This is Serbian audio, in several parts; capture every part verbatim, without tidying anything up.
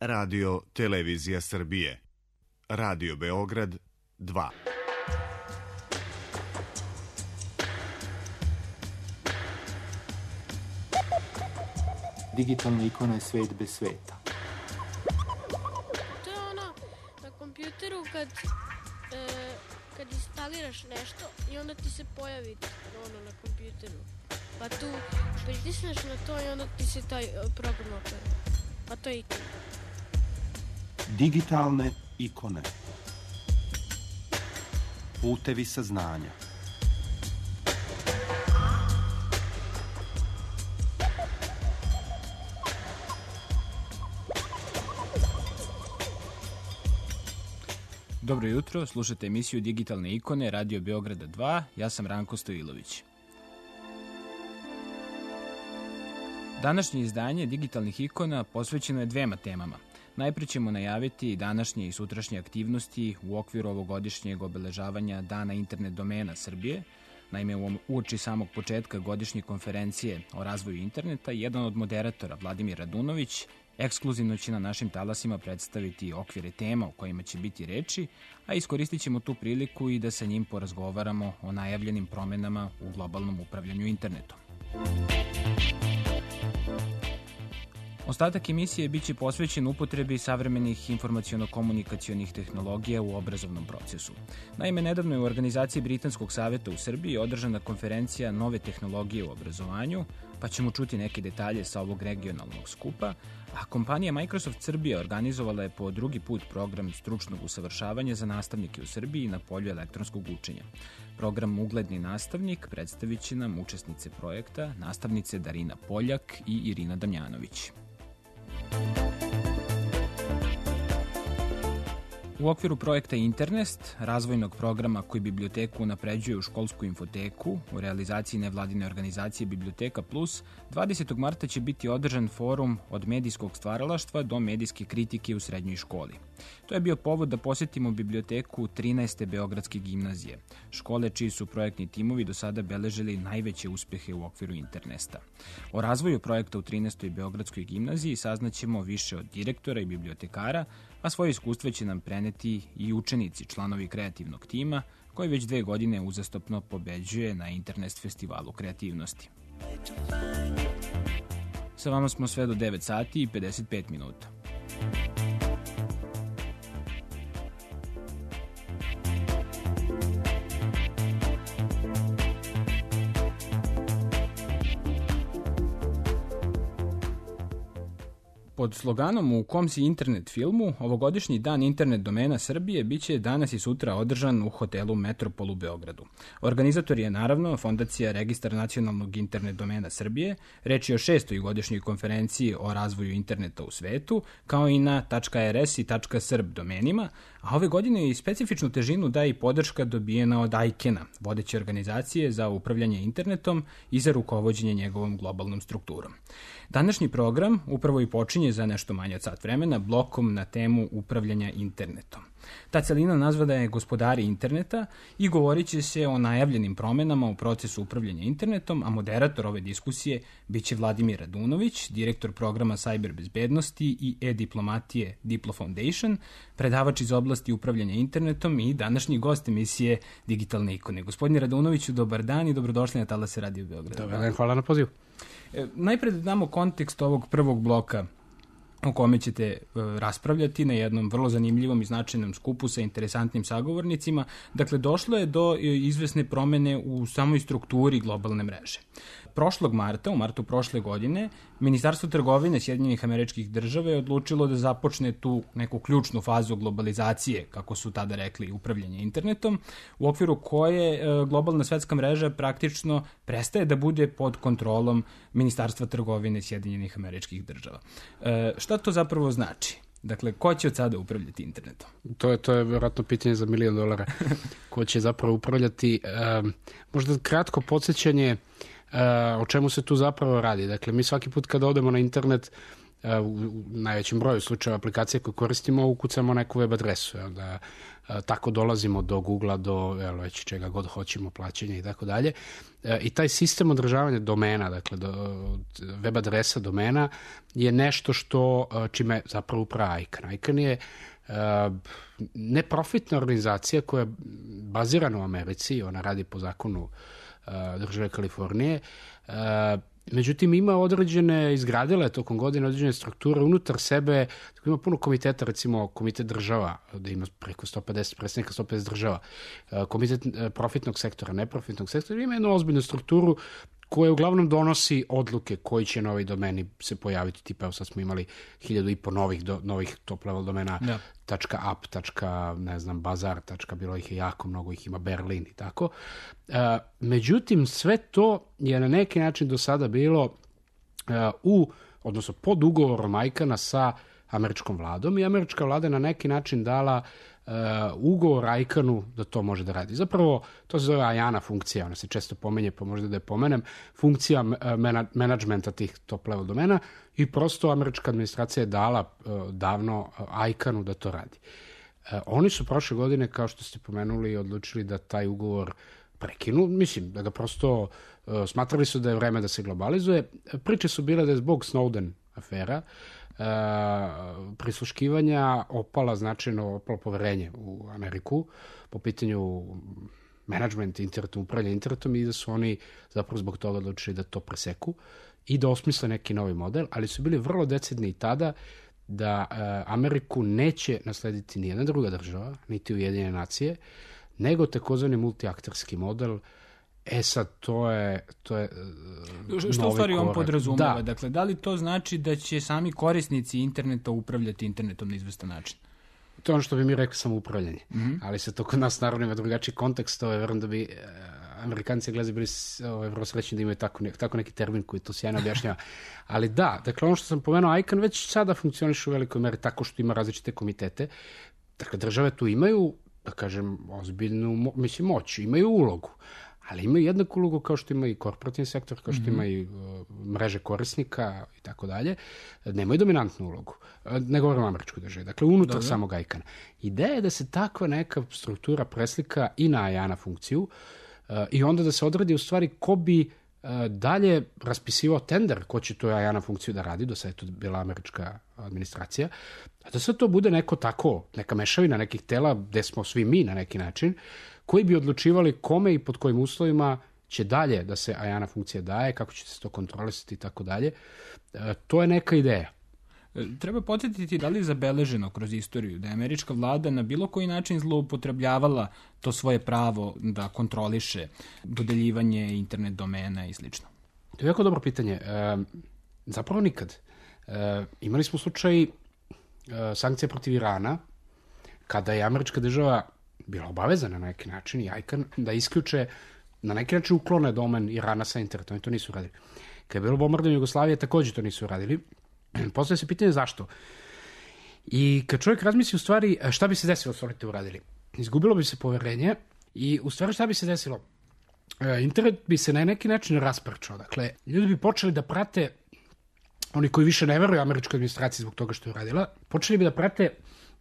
Radio Televizija Srbije. Radio Beograd dva. Digitalna ikona je svet bez sveta. To je ono na kompjuteru kad, e, kad instaliraš nešto i onda ti se pojavi ono na kompjuteru. Pa tu pritisneš na to i onda ti se taj program otvara. Pa to je ikona. Digitalne ikone. Putevi saznanja. Dobro jutro, slušate emisiju Digitalne ikone, Radio Beograda dva, ja sam Ranko Stojilović. Današnje izdanje digitalnih ikona posvećeno je dvema temama. Najpre ćemo najaviti današnje i sutrašnje aktivnosti u okviru ovogodišnjeg obeležavanja Dana internet domena Srbije. Naime, uoči samog početka godišnje konferencije o razvoju interneta, jedan od moderatora, Vladimir Radunović, ekskluzivno će na našim talasima predstaviti okvire tema o kojima će biti reči, a iskoristit ćemo tu priliku i da sa njim porazgovaramo o najavljenim promenama u globalnom upravljanju internetom. Ostatak emisije biće posvećen upotrebi savremenih informaciono-komunikacionih tehnologija u obrazovnom procesu. Naime, nedavno je u organizaciji Britanskog saveta u Srbiji održana konferencija Nove tehnologije u obrazovanju, pa ćemo čuti neke detalje sa ovog regionalnog skupa, a kompanija Microsoft Srbija organizovala je po drugi put program stručnog usavršavanja za nastavnike u Srbiji na polju elektronskog učenja. Program Ugledni nastavnik predstavit će nam učesnice projekta, nastavnice Darina Poljak i Irina Damjanović. U okviru projekta Internest, razvojnog programa koji biblioteku unapređuje u školsku infoteku, u realizaciji nevladine organizacije Biblioteka Plus, dvadesetog marta će biti održan forum od medijskog stvaralaštva do medijske kritike u srednjoj školi. To je bio povod da posetimo biblioteku trinaeste Beogradske gimnazije, škole čiji su projektni timovi do sada beležili najveće uspehe u okviru Internesta. O razvoju projekta u trinaestoj Beogradskoj gimnaziji saznaćemo više od direktora i bibliotekara, a svoje iskustva će nam preneti i učenici, članovi kreativnog tima, koji već dve godine uzastopno pobeđuje na Internest festivalu kreativnosti. Sa vama smo sve do devet sati i pedeset pet minuta. Pod sloganom U kom si internet filmu, ovogodišnji dan internet domena Srbije biće danas i sutra održan u hotelu Metropol u Beogradu. Organizator je naravno Fondacija Registar nacionalnog internet domena Srbije, reč je o šestoj godišnjoj konferenciji o razvoju interneta u svetu, kao i na .rs i .srb domenima, a ove godine i specifičnu težinu daje i podrška dobijena od ajkena, vodeće organizacije za upravljanje internetom i za rukovođenje njegovom globalnom strukturom. Današnji program upravo i počinje za nešto manje od sat vremena blokom na temu upravljanja internetom. Ta celina nazvana je Gospodari interneta i govorit će se o najavljenim promenama u procesu upravljanja internetom, a moderator ove diskusije biće Vladimir Radunović, direktor programa Cyber bezbednosti i e-diplomatije Diplo Foundation, predavač iz oblasti upravljanja internetom i današnji gost emisije Digitalne ikone. Gospodine Radunoviću, dobar dan i dobrodošli na talase Radio Beograda. Dobar dan, hvala na pozivu. E, najpred da damo kontekst ovog prvog bloka o kome ćete e, raspravljati na jednom vrlo zanimljivom i značajnom skupu sa interesantnim sagovornicima. Dakle, došlo je do e, izvesne promene u samoj strukturi globalne mreže. Prošlog marta, u martu prošle godine, Ministarstvo trgovine Sjedinjenih Američkih Država je odlučilo da započne tu neku ključnu fazu globalizacije, kako su tada rekli, upravljanje internetom, u okviru koje e, globalna svetska mreža praktično prestaje da bude pod kontrolom Ministarstva trgovine Sjedinjenih Američkih Država. E, šta to zapravo znači? Dakle, ko će od sada upravljati internetom? To je, to je vjerojatno pitanje za milion dolara. Ko će zapravo upravljati? E, možda kratko podsjećanje e, o čemu se tu zapravo radi. Dakle, mi svaki put kada odemo na internet, u najvećem broju slučajeva aplikacije koje koristimo ukucamo neku web adresu, da tako dolazimo do Googlea, do evo, već čega god hoćemo, plaćanja i tako dalje. I taj sistem održavanja domena, dakle do, web adresa domena, je nešto što čime zapravo uprava ICANN. ICANN je uh, neprofitna organizacija koja je bazirana u Americi, ona radi po zakonu uh, države Kalifornije, uh, međutim, ima određene, izgradila je tokom godine određene strukture unutar sebe, tako ima puno komiteta, recimo komitet država, da ima preko sto pedeset predstavnika, sto pedeset država, komitet profitnog sektora, neprofitnog sektora, ima jednu ozbiljnu strukturu koja uglavnom donosi odluke koji će novi domeni se pojaviti, tipa evo sad smo imali hiljadu i po novih, do, novih top level domena, da. .app, ne znam, bazar, bilo ih je jako mnogo, ih ima Berlin i tako. E, međutim, sve to je na neki način do sada bilo e, u, odnosno pod ugovorom ICANN-a sa američkom vladom i američka vlada je na neki način dala Uh, ugovor ICANN-u da to može da radi. Zapravo, to se zove AJANA funkcija, ona se često pomenje, pa možda da je pomenem, funkcija mena, menadžmenta tih top level domena i prosto američka administracija je dala uh, davno uh, ICANN-u da to radi. Uh, oni su prošle godine, kao što ste pomenuli, odlučili da taj ugovor prekinu, mislim, da ga prosto uh, smatrali su da je vreme da se globalizuje. Priče su bile da je zbog Snowden afera Uh, prisluškivanja opala značajno opalo poverenje u Ameriku po pitanju menadžmenta internetom, upravljanja internetom i da su oni zapravo zbog toga odlučili da to preseku i da osmisle neki novi model, ali su bili vrlo decidni i tada da uh, Ameriku neće naslediti nijedna druga država, niti Ujedinjene nacije, nego takozvani multiakterski model. E sad, to je, to je uh, što u stvari on podrazumeva? Da. Dakle, da li to znači da će sami korisnici interneta upravljati internetom na izvestan način? To je ono što bi mi rekli samoupravljanje. Mm-hmm. Ali se to kod nas naravno ima drugačiji kontekst. To je verujem da bi uh, Amerikanci gledali bili ovaj, vrlo srećni da imaju tako, ne, tako neki termin koji to sjajno objašnjava. Ali da, dakle, ono što sam pomenuo, ICANN već sada funkcioniše u velikoj meri tako što ima različite komitete. Dakle, države tu imaju, da kažem, ozbiljnu, mislim, moć, imaju ulogu. Ali imaju jednaku ulogu kao što ima i korporativni sektor, kao što mm-hmm. ima i uh, mreže korisnika i tako dalje. Nemaju dominantnu ulogu. Ne govorim o američkoj državi. Dakle, unutar Dobre. samog ICANN-a. Ideja je da se takva neka struktura preslika i na AJANA funkciju uh, i onda da se odredi u stvari ko bi uh, dalje raspisivao tender ko će tu AJANA funkciju da radi. Do sada je to bila američka administracija. A da sve to bude neko tako, neka mešavina nekih tela gde smo svi mi na neki način, koji bi odlučivali kome i pod kojim uslovima će dalje da se AJANA funkcija daje, kako će se to kontrolisati i tako dalje. To je neka ideja. Treba podsjetiti da li je zabeleženo kroz istoriju da je američka vlada na bilo koji način zloupotrebljavala to svoje pravo da kontroliše dodeljivanje internet domena i slično? To je jako dobro pitanje. E, zapravo nikad. E, imali smo slučaj e, sankcija protiv Irana, kada je američka država bila obavezana na neki način i ICANN da isključe, na neki način uklone domen Irana sa internetom. Oni to nisu radili. Kad je bilo bombardovanje Jugoslavije, također to nisu radili. Postoje se pitanje zašto. I kad čovjek razmisli u stvari šta bi se desilo s oni to uradili. Izgubilo bi se poverenje i u stvari šta bi se desilo? Internet bi se na neki način rasprčao. Dakle, ljudi bi počeli da prate, oni koji više ne veruju američkoj administraciji zbog toga što je uradila, počeli bi da prate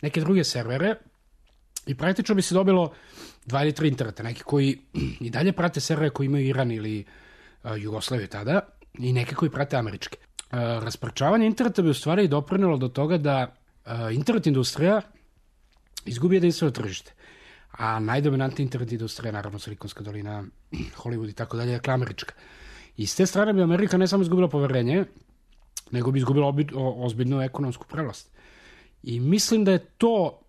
neke druge servere i praktično bi se dobilo dva ili tri interneta, neki koji i dalje prate servere koji imaju Iran ili uh, Jugoslaviju tada i neke koji prate američke. Uh, rasprčavanje interneta bi u stvari doprinelo do toga da uh, internet industrija izgubi jedinstveno tržište. A najdominantnija internet industrija, naravno Silikonska dolina, Hollywood i tako dalje, dakle američka. I s te strane bi Amerika ne samo izgubila poverenje, nego bi izgubila obi, o, ozbiljnu ekonomsku prevlast. I mislim da je to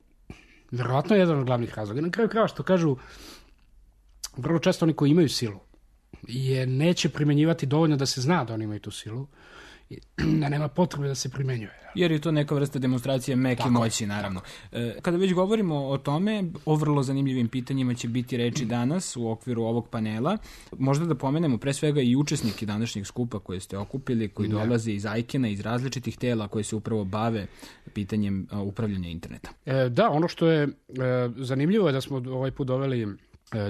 verovatno jedan od glavnih razloga. Na kraju krajeva što kažu, vrlo često oni koji imaju silu je neće primenjivati dovoljno da se zna da oni imaju tu silu, da nema potrebe da se primenjuje. Jer je to neka vrsta demonstracije meke tako, moći, naravno. E, kada već govorimo o tome, o vrlo zanimljivim pitanjima će biti reči danas u okviru ovog panela. Možda da pomenemo pre svega i učesnike današnjeg skupa koje ste okupili, koji da. dolaze iz ICANN-a, iz različitih tela koje se upravo bave pitanjem a, upravljanja interneta. E, da, ono što je e, zanimljivo je da smo ovaj put doveli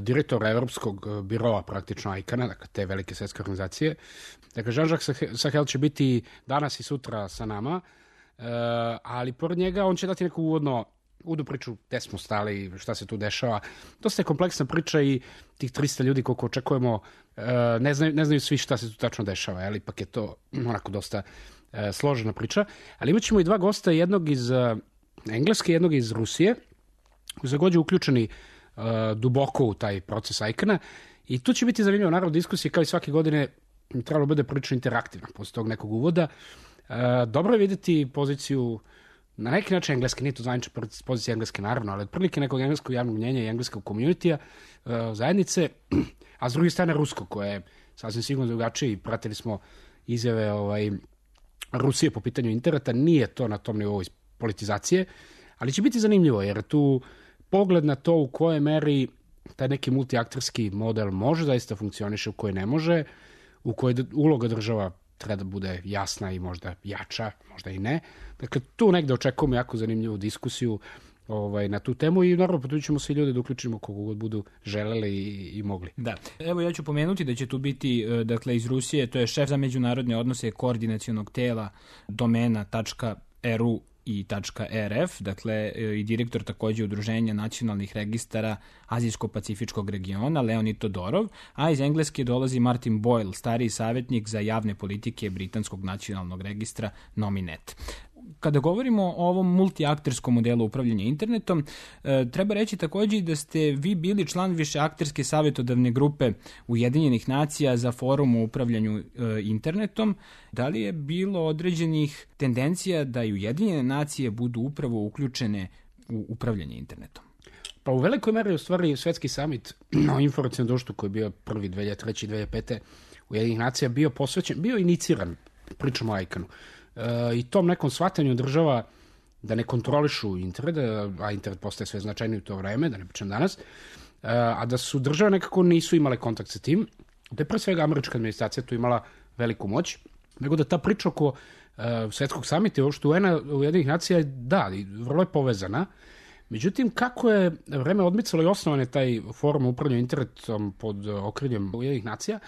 direktor Evropskog biroa praktično ICANN-a, dakle te velike svetske organizacije. Dakle, Jean-Jacques Sahel će biti danas i sutra sa nama, ali pored njega on će dati neku uvodno uvodnu priču gde smo stali, šta se tu dešava. Dosta je kompleksna priča i tih trista ljudi koliko očekujemo ne znaju, ne znaju svi šta se tu tačno dešava, ali ipak je to onako dosta složena priča. Ali imat ćemo i dva gosta, jednog iz Engleske, jednog iz Rusije, koji su takođe uključeni uh, duboko u taj proces ICANN-a i tu će biti zanimljivo, naravno, diskusije kao i svake godine trebalo bude prilično interaktivna posle tog nekog uvoda. Uh, dobro je videti poziciju na neki način engleske, nije to zvanična pozicija engleske naravno, ali otprilike nekog engleskog javnog mnjenja i engleskog komunitija uh, zajednice, a s druge strane rusko, koje je sasvim sigurno drugačije i pratili smo izjave ovaj, Rusije po pitanju interneta, nije to na tom nivou politizacije, ali će biti zanimljivo, jer tu pogled na to u kojoj meri taj neki multiakterski model može zaista funkcioniše, u kojoj ne može, u kojoj uloga država treba da bude jasna i možda jača, možda i ne. Dakle, tu negde očekujemo jako zanimljivu diskusiju ovaj, na tu temu i naravno potrudit ćemo svi ljudi da uključimo kogu god budu želeli i, i mogli. Da. Evo ja ću pomenuti da će tu biti, dakle, iz Rusije, to je šef za međunarodne odnose koordinacionog tela domena.ru i .rf, dakle i direktor takođe Udruženja nacionalnih registara Azijsko-Pacifičkog regiona, Leonid Todorov, a iz Engleske dolazi Martin Boyle, stariji savjetnik za javne politike Britanskog nacionalnog registra Nominet. Kada govorimo o ovom multiakterskom modelu upravljanja internetom, treba reći takođe da ste vi bili član višeakterske savjetodavne grupe Ujedinjenih nacija za forum o upravljanju internetom. Da li je bilo određenih tendencija da i Ujedinjene nacije budu upravo uključene u upravljanje internetom? Pa u velikoj meri u stvari Svetski samit o informacionom društvu koji je bio prvi dve hiljade treće i dve hiljade pete Ujedinjenih nacija bio posvećen, bio iniciran, pričamo o ICANN-u, i tom nekom shvatanju država da ne kontrolišu internet, a internet postaje sve značajniji u to vreme, da ne pričam danas, a da su države nekako nisu imale kontakt sa tim, da je pre svega američka administracija tu imala veliku moć, nego da ta priča oko uh, Svetskog samita i uopšte U N-a, Ujedinjenih nacija, da, vrlo je povezana. Međutim, kako je vreme odmicalo i osnovan je taj forum upravljanja internetom pod okriljem Ujedinjenih nacija,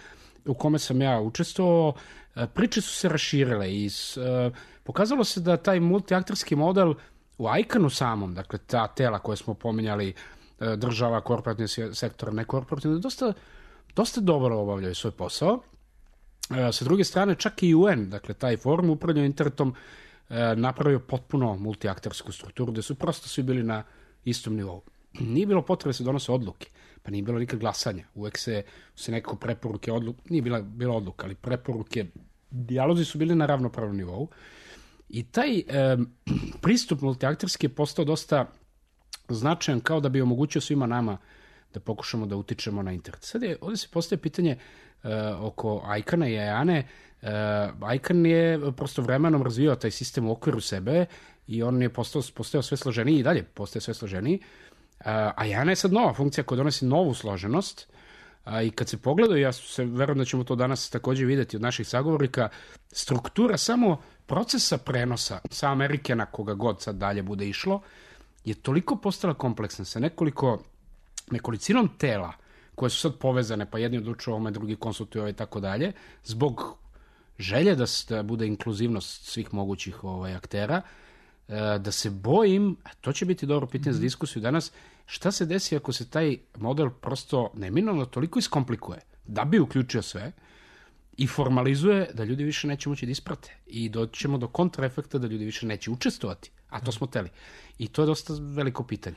u kome sam ja učestvovao, priče su se raširile i uh, pokazalo se da taj multiakterski model u ICANN-u samom, dakle ta tela koje smo pominjali, uh, država, korporativni sektor, nekorporativni, dosta, dosta dobro obavljaju svoj posao. Uh, sa druge strane, čak i U N, dakle taj forum upravljanja internetom, uh, napravio potpuno multiaktersku strukturu, gde su prosto svi bili na istom nivou. Nije bilo potrebe da se donose odluke, pa nije bilo nikad glasanja. Uvek se, se nekako preporuke, odluke, nije bila, bila odluka, ali preporuke, dijalozi su bili na ravnopravnom nivou. I taj e, pristup multiakterski je postao dosta značajan, kao da bi omogućio svima nama da pokušamo da utičemo na internet. Sad je, ovdje se postaje pitanje e, oko ICANN-a i AJANE. E, ICANN je prosto vremenom razvijao taj sistem u okviru sebe i on je postao, postao sve složeniji i dalje postaje sve složeniji. A AJANE je sad nova funkcija koja donosi novu složenost a, i kad se pogledaju, ja se verujem da ćemo to danas takođe videti od naših sagovornika, struktura samo procesa prenosa sa Amerike na koga god sad dalje bude išlo je toliko postala kompleksna sa nekoliko, nekolicinom tela koje su sad povezane, pa jedni odlučuju ovome, drugi konsultuju ovo i tako dalje, zbog želje da, da bude inkluzivnost svih mogućih ovaj, aktera, da se bojim, a to će biti dobro pitanje za diskusiju danas, šta se desi ako se taj model prosto neminovno toliko iskomplikuje, da bi uključio sve i formalizuje da ljudi više neće moći da isprate i doćemo do kontraefekta da ljudi više neće učestvovati, a to smo teli. I to je dosta veliko pitanje.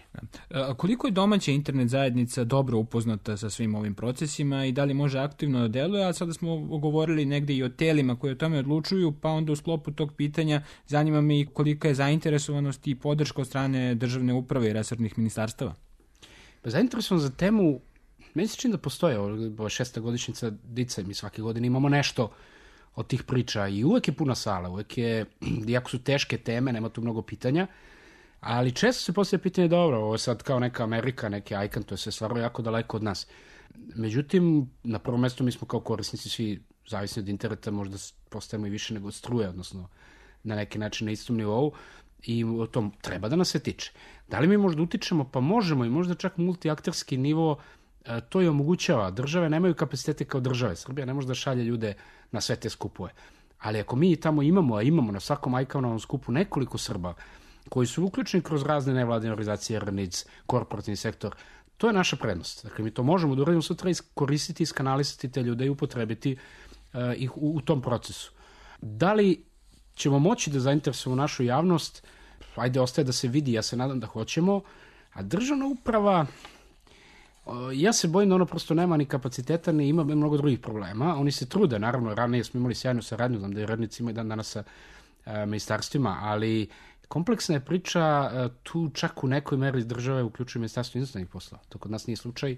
A koliko je domaća internet zajednica dobro upoznata sa svim ovim procesima i da li može aktivno da deluje, a sada smo govorili negde i o telima koje o tome odlučuju, pa onda u sklopu tog pitanja zanima me i kolika je zainteresovanost i podrška od strane državne uprave i resornih ministarstava. Pa zainteresovan za temu, meni se čini da postoje, ovo je šesta godišnjica Dice, mi svake godine imamo nešto od tih priča i uvek je puna sala, uvek je, iako su teške teme, nema tu mnogo pitanja, ali često se postavlja pitanje, dobro, ovo je sad kao neka Amerika, neki ICANN, to je sve stvarno jako daleko od nas. Međutim, na prvom mestu mi smo kao korisnici svi zavisni od interneta, možda postajemo i više nego od struje, odnosno na neki način na istom nivou i o tom treba da nas se tiče. Da li mi možda utičemo? Pa možemo i možda čak multiakterski nivo e, to je omogućava. Države nemaju kapacitete kao države. Srbija ne može da šalje ljude na sve te skupove. Ali ako mi tamo imamo, a imamo na svakom ajkanovom skupu nekoliko Srba koji su uključeni kroz razne nevladine organizacije, R N I C, korporativni sektor, to je naša prednost. Dakle, mi to možemo da uradimo sutra, iskoristiti, iskanalisati te ljude i upotrebiti uh, ih u, u tom procesu. Da li ćemo moći da zainteresujemo našu javnost? Ajde, ostaje da se vidi, ja se nadam da hoćemo. A državna uprava, uh, ja se bojim da ono prosto nema ni kapaciteta, ni ima mnogo drugih problema. Oni se trude, naravno, ranije smo imali sjajnu saradnju, znam da je radnici imaju dan danas sa uh, ministarstvima, ali kompleksna je priča, tu čak u nekoj meri države uključuje Ministarstvo inostranih poslova. To kod nas nije slučaj.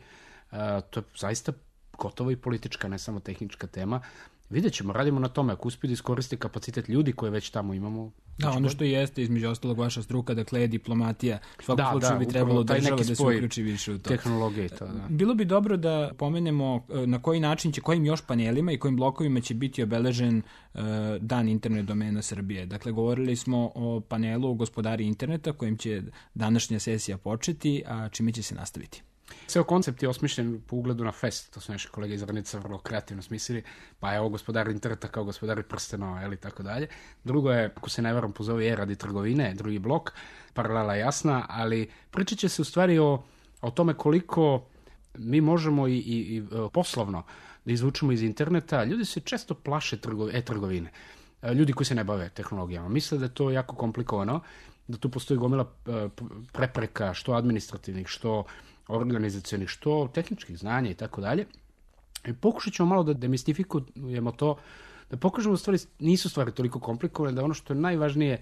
To je zaista gotovo i politička, ne samo tehnička tema. Vidjet ćemo, radimo na tome. Ako uspiju da iskoriste kapacitet ljudi koje već tamo imamo. Da, ono što jeste između ostalog vaša struka, dakle je diplomatija. U svakom slučaju bi trebalo država da se uključi više u to. Tehnologije to, da. Bilo bi dobro da pomenemo na koji način će, kojim još panelima i kojim blokovima će biti obeležen uh, dan internet domena Srbije. Dakle, govorili smo o panelu Gospodari interneta kojim će današnja sesija početi, a čime će se nastaviti. Ceo koncept je osmišljen po ugledu na fest, to su naši kolege iz Rnica vrlo kreativno smislili, pa je ovo Gospodari interneta kao Gospodari prstenova, ili tako dalje. Drugo je, ako se ne varam, pozove je radi trgovine, drugi blok, paralela jasna, ali pričat će se u stvari o, o tome koliko mi možemo i, i, i poslovno da izvučemo iz interneta. Ljudi se često plaše trgo, e-trgovine, ljudi koji se ne bave tehnologijama. Misle da je to jako komplikovano, da tu postoji gomila prepreka, što administrativnih, što organizacionih, što tehničkih znanja i tako dalje. I pokušat ćemo malo da demistifikujemo to, da pokažemo da stvari nisu stvari toliko komplikovane, da ono što je najvažnije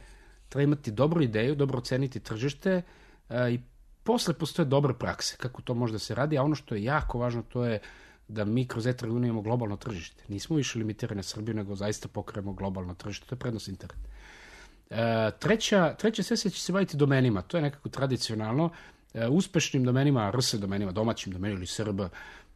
treba imati dobru ideju, dobro oceniti tržište a, i posle postoje dobre prakse, kako to može da se radi, a ono što je jako važno to je da mi kroz e-trgovinu imamo globalno tržište. Nismo više limitirani na Srbiju, nego zaista pokrijemo globalno tržište. To je prednost interneta. E, treća, treća sesija će se baviti domenima. To je nekako tradicionalno. E, uspešnim domenima, R S domenima, domaćim domenima ili S R B,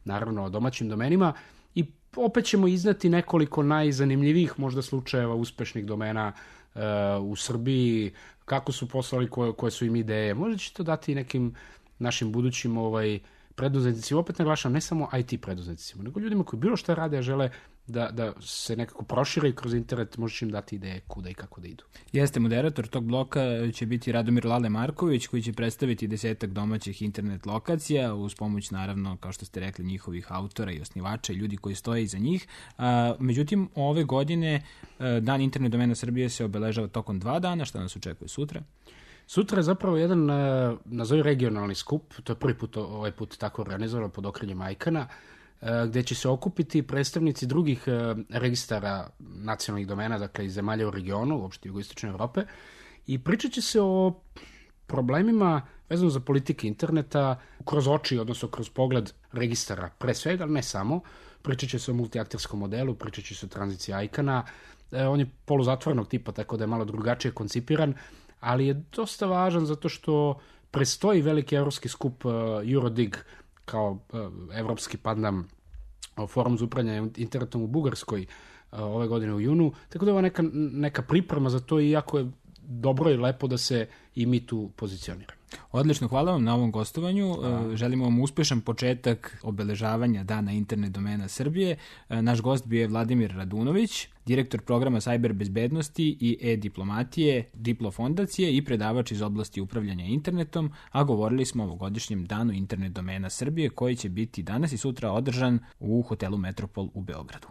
naravno domaćim domenima. I opet ćemo izneti nekoliko najzanimljivijih možda slučajeva uspešnih domena e, u Srbiji, kako su poslali, koje, koje su im ideje. Možda će to dati nekim našim budućim ovaj, preduzetnicima, opet naglašam, ne samo I T preduzetnicima, nego ljudima koji bilo šta rade, a žele da, da se nekako prošire kroz internet, može im dati ideje kuda i kako da idu. Jeste, moderator tog bloka će biti Radomir Lale Marković, koji će predstaviti desetak domaćih internet lokacija, uz pomoć, naravno, kao što ste rekli, njihovih autora i osnivača i ljudi koji stoje iza njih. A, međutim, ove godine Dan internet domena Srbije se obeležava tokom dva dana. Šta nas očekuje sutra? Sutra je zapravo jedan, nazovi regionalni skup, to je prvi put ovaj put tako organizovano pod okriljem ajkana, gde će se okupiti predstavnici drugih registara nacionalnih domena, dakle iz zemalja u regionu, uopšte jugoistočne Evrope, i pričat će se o problemima vezano za politike interneta kroz oči, odnosno kroz pogled registara, pre svega, ali ne samo. Pričat će se o multiakterskom modelu, pričat će se o tranziciji ajkana, on je poluzatvorenog tipa, tako da je malo drugačije koncipiran, ali je dosta važan zato što prestoji veliki evropski skup uh, Eurodig kao uh, evropski pandam uh, forum za upravljanje internetom u Bugarskoj uh, ove godine u junu, tako da je ovo neka, neka priprema za to i jako je dobro i lepo da se i mi tu pozicioniramo. Odlično, hvala vam na ovom gostovanju. A. Želimo vam uspešan početak obeležavanja Dana internet domena Srbije. Naš gost bio je Vladimir Radunović, direktor programa Cyber bezbednosti i e-diplomatije Diplo fondacije i predavač iz oblasti upravljanja internetom, a govorili smo o ovogodišnjem Danu internet domena Srbije koji će biti danas i sutra održan u hotelu Metropol u Beogradu.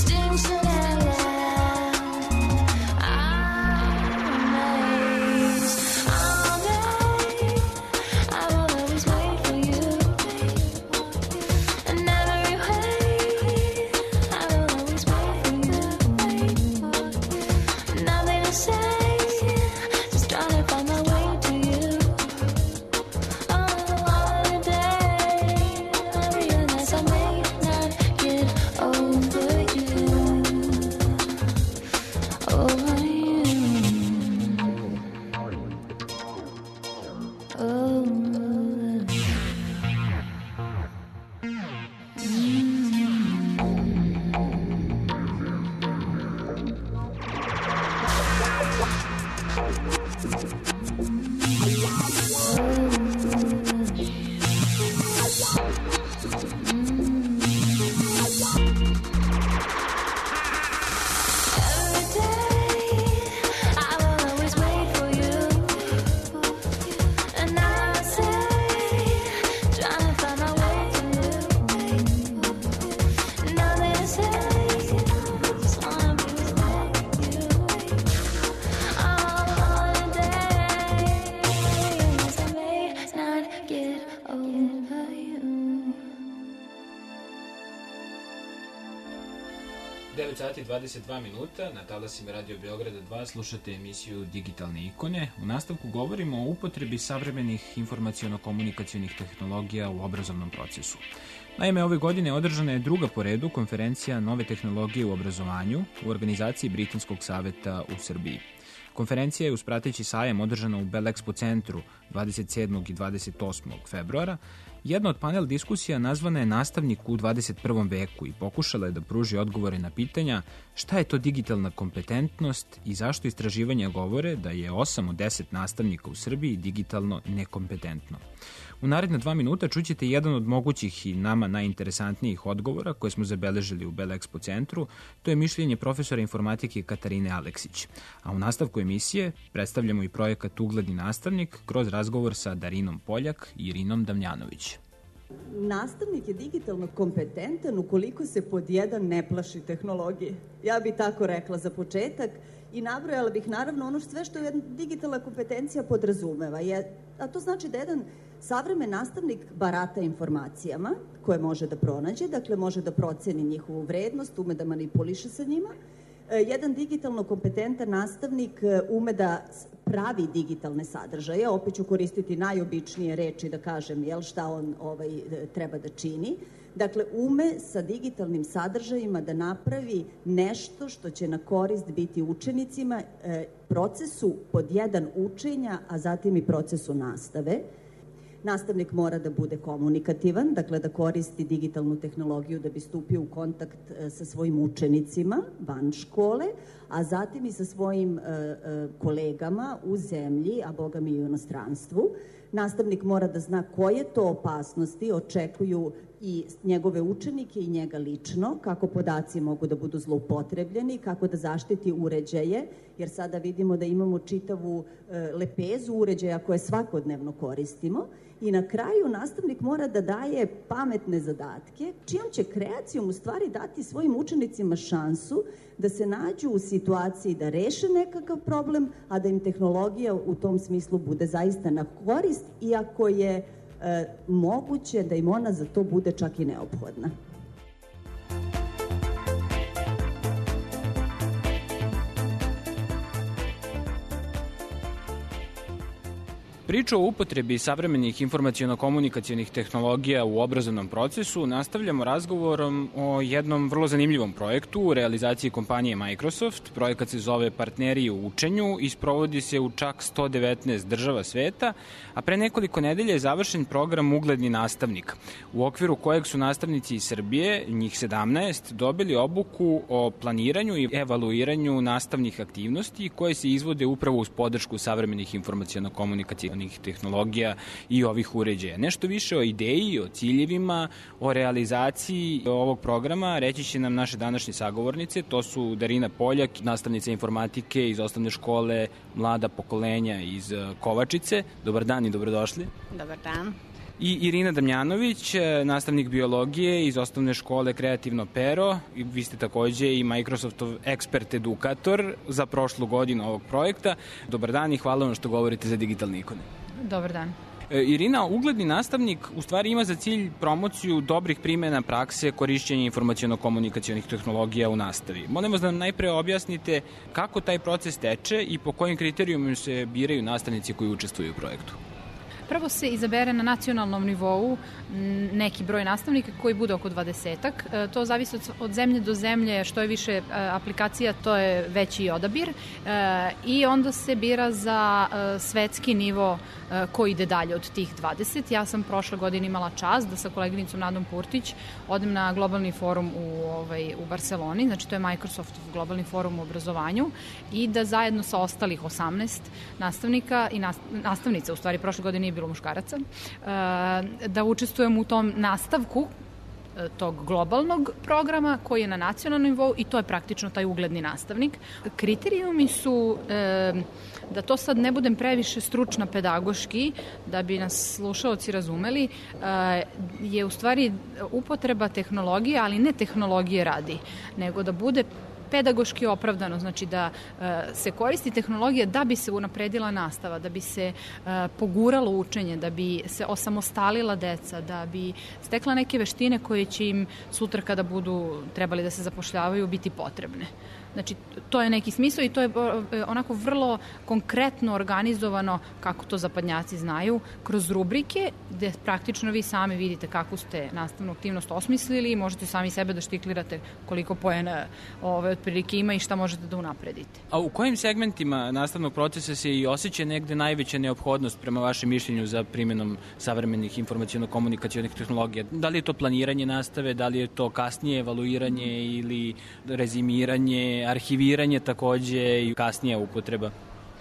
extinction and love. I'm amazed. All day I will always wait for you. In every way I will always wait for you. Nothing to say, just trying to find my way to you. On a holiday I realize I may not get over you. Over you. Over you. Every day I will always wait for you. And I say, trying to find my way to you. Nothing to say, just wanna be with you. On holiday, I may not get over you. devet sati i dvadeset dva minuta, na talasima Radio Beograda dva slušate emisiju Digitalne ikone. U nastavku govorimo o upotrebi savremenih informaciono-komunikacionih tehnologija u obrazovnom procesu. Naime, ove godine održana je druga po redu konferencija Nove tehnologije u obrazovanju u organizaciji Britanskog saveta u Srbiji. Konferencija je uz prateći sajam održana u Bell Expo centru dvadeset sedmog i dvadeset osmog februara. Jedna od panel diskusija nazvana je Nastavnik u dvadeset prvom veku i pokušala je da pruži odgovore na pitanja šta je to digitalna kompetentnost i zašto istraživanja govore da je osam od deset nastavnika u Srbiji digitalno nekompetentno. U naredna dva minuta čućete jedan od mogućih i nama najinteresantnijih odgovora koje smo zabeležili u Bell Expo centru. To je mišljenje profesora informatike Katarine Aleksić. A u nastavku emisije predstavljamo i projekat Ugledni nastavnik kroz razgovor sa Darinom Poljak i Irinom Damjanović. Nastavnik je digitalno kompetentan ukoliko se pod jedan ne plaši tehnologije. Ja bih tako rekla za početak i nabrojala bih naravno ono sve što jedna digitalna kompetencija podrazumeva. Je, a to znači da jedan savremen nastavnik barata informacijama koje može da pronađe, dakle može da proceni njihovu vrednost, ume da manipuliše sa njima. Jedan digitalno kompetentan nastavnik ume da pravi digitalne sadržaje, opet ću koristiti najobičnije reči da kažem jel, šta on ovaj, treba da čini. Dakle, ume sa digitalnim sadržajima da napravi nešto što će na korist biti učenicima, e, procesu pod jedan učenja, a zatim i procesu nastave. Nastavnik mora da bude komunikativan, dakle da koristi digitalnu tehnologiju da bi stupio u kontakt sa svojim učenicima van škole, a zatim i sa svojim e, e, kolegama u zemlji, a boga mi i u inostranstvu. Nastavnik mora da zna koje to opasnosti očekuju i njegove učenike i njega lično, kako podaci mogu da budu zloupotrebljeni, kako da zaštiti uređaje, jer sada vidimo da imamo čitavu e, lepezu uređaja koje svakodnevno koristimo. I na kraju nastavnik mora da daje pametne zadatke, čijom će kreacijom u stvari dati svojim učenicima šansu da se nađu u situaciji da reše nekakav problem, a da im tehnologija u tom smislu bude zaista na korist, iako je e, moguće da im ona za to bude čak i neophodna. Priču o upotrebi savremenih informaciono-komunikacionih tehnologija u obrazovnom procesu nastavljamo razgovorom o jednom vrlo zanimljivom projektu u realizaciji kompanije Microsoft. Projekat se zove Partneri u učenju i sprovodi se u čak sto devetnaest država sveta, a pre nekoliko nedelja je završen program Ugledni nastavnik, u okviru kojeg su nastavnici iz Srbije, njih sedamnaest, dobili obuku o planiranju i evaluiranju nastavnih aktivnosti koje se izvode upravo uz podršku savremenih informaciono-komunikacionih tehnologija i ovih uređaja. Nešto više o ideji, o ciljevima, o realizaciji ovog programa reći će nam naše današnje sagovornice. To su Darina Poljak, nastavnica informatike iz osnovne škole Mlada pokolenja iz Kovačice. Dobar dan i dobrodošli. Dobar dan. I Irina Damjanović, nastavnik biologije iz osnovne škole Kreativno pero. I vi ste takođe i Microsoftov ekspert edukator za prošlu godinu ovog projekta. Dobar dan i hvala vam što govorite za digitalne ikone. Dobar dan. Irina, ugledni nastavnik u stvari ima za cilj promociju dobrih primjena prakse korišćenja informaciono-komunikacionih tehnologija u nastavi. Molim vas da nam najpre objasnite kako taj proces teče i po kojim kriterijumima se biraju nastavnici koji učestvuju u projektu. Prvo se izabere na nacionalnom nivou neki broj nastavnika koji bude oko dvadesetak. To zavisi od zemlje do zemlje, što je više aplikacija, to je veći odabir. I onda se bira za svetski nivo ko ide dalje od tih dvadeset. Ja sam prošle godine imala čast da sa koleginicom Nadom Purtić odem na globalni forum u, ovaj, u Barceloni, znači to je Microsoftov globalni forum u obrazovanju, i da zajedno sa ostalih osamnaest nastavnika i nastavnica, u stvari prošle godine nije bilo muškaraca, da učestvujem u tom nastavku tog globalnog programa koji je na nacionalnom nivou i to je praktično taj ugledni nastavnik. Kriterijumi su e, da to sad ne budem previše stručna pedagoški, da bi nas slušaoci razumeli, e, je u stvari upotreba tehnologije, ali ne tehnologije radi, nego da bude pedagoški opravdano, znači da e, se koristi tehnologija da bi se unapredila nastava, da bi se e, poguralo učenje, da bi se osamostalila deca, da bi stekla neke veštine koje će im sutra kada budu trebali da se zapošljavaju biti potrebne. Znači, to je neki smisao i to je onako vrlo konkretno organizovano, kako to zapadnjaci znaju, kroz rubrike gde praktično vi sami vidite kakvu ste nastavnu aktivnost osmislili i možete sami sebe da štiklirate koliko poena ove otprilike ima i šta možete da unapredite. A u kojim segmentima nastavnog procesa se i osjeća negde najveća neophodnost prema vašem mišljenju za primjenom savremenih informaciono-komunikacionih tehnologija? Da li je to planiranje nastave, da li je to kasnije evaluiranje ili rezimiranje, arhiviranje takođe i kasnija upotreba?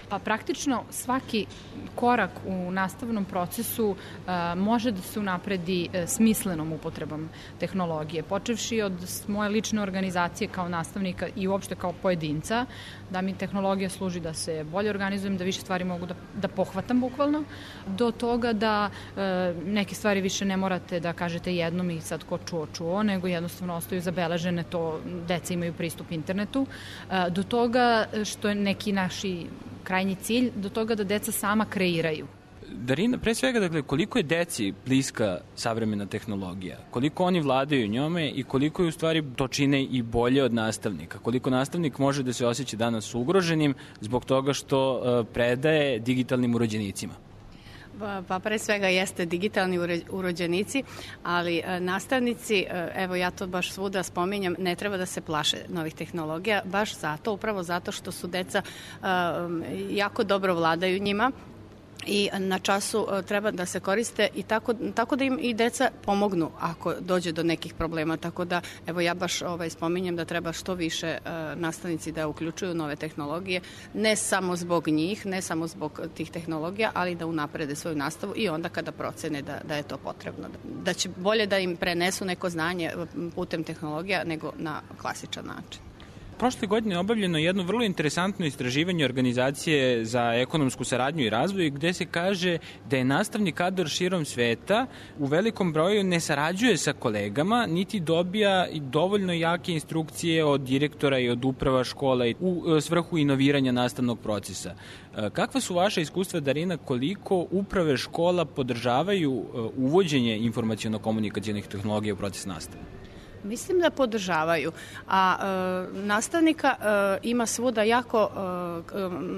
Pa praktično svaki korak u nastavnom procesu a, može da se unapredi a, smislenom upotrebom tehnologije. Počevši od moje lične organizacije kao nastavnika i uopšte kao pojedinca, da mi tehnologija služi da se bolje organizujem, da više stvari mogu da, da pohvatam bukvalno, do toga da a, neke stvari više ne morate da kažete jednom i sad ko čuo, čuo, nego jednostavno ostaju zabeležene, to deca imaju pristup internetu, a, do toga što je neki naši krajnji cilj, do toga da deca sama kreiraju. Darina, pre svega, dakle, koliko je deci bliska savremena tehnologija? Koliko oni vladaju njome i koliko je u stvari to čine i bolje od nastavnika? Koliko nastavnik može da se osjeća danas ugroženim zbog toga što uh, predaje digitalnim urođenicima? Pa pre svega jeste digitalni urođenici, ali nastavnici, evo ja to baš svuda spominjam, ne treba da se plaše novih tehnologija, baš zato, upravo zato što su deca jako dobro vladaju njima i na času treba da se koriste i tako, tako da im i deca pomognu ako dođe do nekih problema. Tako da, evo ja baš ovaj, spominjem da treba što više uh, nastavnici da uključuju nove tehnologije, ne samo zbog njih, ne samo zbog tih tehnologija, ali da unaprede svoju nastavu i onda kada procene da, da je to potrebno. Da će bolje da im prenesu neko znanje putem tehnologija nego na klasičan način. Prošle godine je obavljeno jedno vrlo interesantno istraživanje Organizacije za ekonomsku saradnju i razvoj gde se kaže da je nastavni kadar širom sveta u velikom broju ne sarađuje sa kolegama, niti dobija dovoljno jake instrukcije od direktora i od uprava škola u svrhu inoviranja nastavnog procesa. Kakva su vaša iskustva, Darina, koliko uprave škola podržavaju uvođenje informaciono-komunikacionih tehnologija u proces nastave? Mislim da podržavaju, a e, nastavnika e, ima svuda jako e,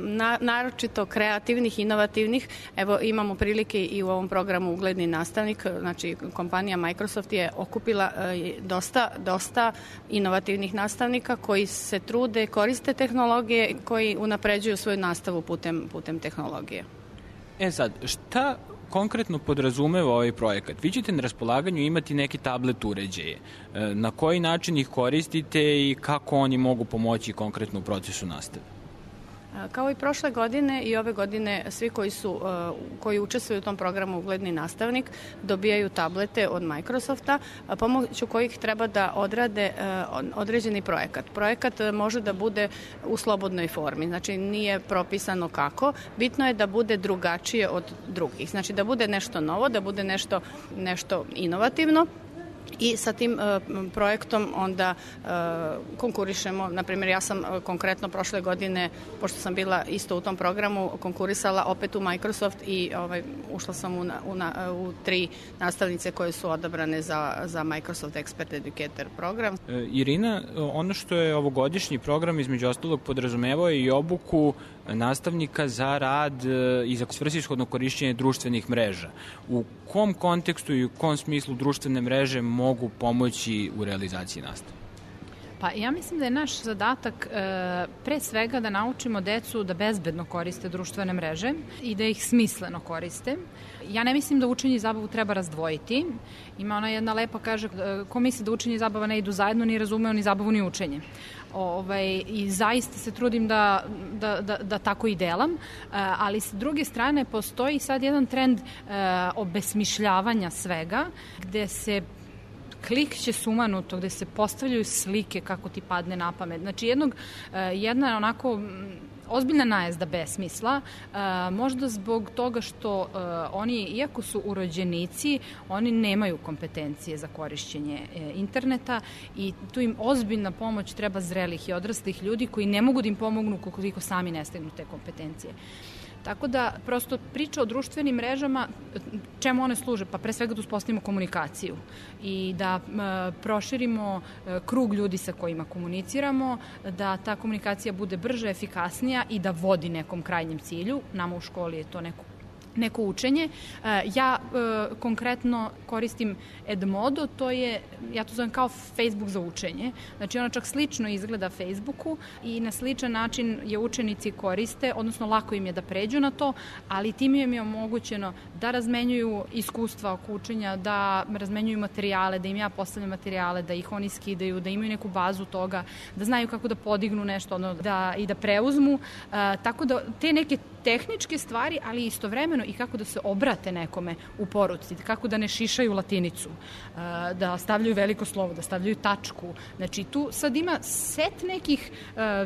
na, naročito kreativnih, inovativnih. Evo imamo prilike i u ovom programu Ugledni nastavnik, znači kompanija Microsoft je okupila e, dosta, dosta inovativnih nastavnika koji se trude, koriste tehnologije, koji unapređuju svoju nastavu putem, putem tehnologije. E sad, šta konkretno podrazumeva ovaj projekat? Vi ćete na raspolaganju imati neki tablet uređaje. Na koji način ih koristite i kako oni mogu pomoći konkretno u procesu nastave? Kao i prošle godine i ove godine svi koji su koji učestvuju u tom programu Ugledni nastavnik dobijaju tablete od Microsofta pomoću kojih treba da odrade određeni projekat. Projekat može da bude u slobodnoj formi, znači nije propisano kako. Bitno je da bude drugačije od drugih, znači da bude nešto novo, da bude nešto, nešto inovativno. I sa tim uh, projektom onda uh, konkurišemo, na primjer ja sam uh, konkretno prošle godine, pošto sam bila isto u tom programu, konkurisala opet u Microsoft i ovaj, ušla sam u, na, u, na, u tri nastavnice koje su odabrane za, za Microsoft Expert Educator program. E, Irina, ono što je ovogodišnji program između ostalog podrazumevao je i obuku nastavnika za rad i za svrsishodno korišćenje društvenih mreža. U kom kontekstu i u kom smislu društvene mreže mogu pomoći u realizaciji nastave? Pa ja mislim da je naš zadatak e, pre svega da naučimo decu da bezbedno koriste društvene mreže i da ih smisleno koriste. Ja ne mislim da učenje i zabavu treba razdvojiti. Ima ona jedna lepa kaže, ko misli da učenje i zabava ne idu zajedno, ni razumeo ni zabavu ni učenje. Ovaj, i zaista se trudim da, da, da, da tako i delam, ali s druge strane postoji sad jedan trend obesmišljavanja svega, gde se klikće sumanuto, gde se postavljaju slike kako ti padne na pamet. Znači jednog, jedna onako ozbiljna najezda besmisla, možda zbog toga što oni, iako su urođenici, oni nemaju kompetencije za korišćenje interneta i tu im ozbiljna pomoć treba zrelih i odraslih ljudi koji ne mogu da im pomognu koliko sami ne stegnu te kompetencije. Tako da, prosto priča o društvenim mrežama, čemu one služe? Pa pre svega da uspostavimo komunikaciju i da e, proširimo e, krug ljudi sa kojima komuniciramo, da ta komunikacija bude brža, efikasnija i da vodi nekom krajnjem cilju. Nama u školi je to neko neko učenje. Ja e, konkretno koristim Edmodo, to je, ja to zovem kao Facebook za učenje. Znači ono čak slično izgleda Facebooku i na sličan način je učenici koriste, odnosno lako im je da pređu na to, ali tim im je omogućeno da razmenjuju iskustva oko učenja, da razmenjuju materijale, da im ja postavljam materijale, da ih oni skidaju, da imaju neku bazu toga, da znaju kako da podignu nešto ono, da, i da preuzmu. E, tako da te neke tehničke stvari, ali istovremeno i kako da se obrate nekome u poruci, kako da ne šišaju latinicu, da stavljaju veliko slovo, da stavljaju tačku. Znači tu sad ima set nekih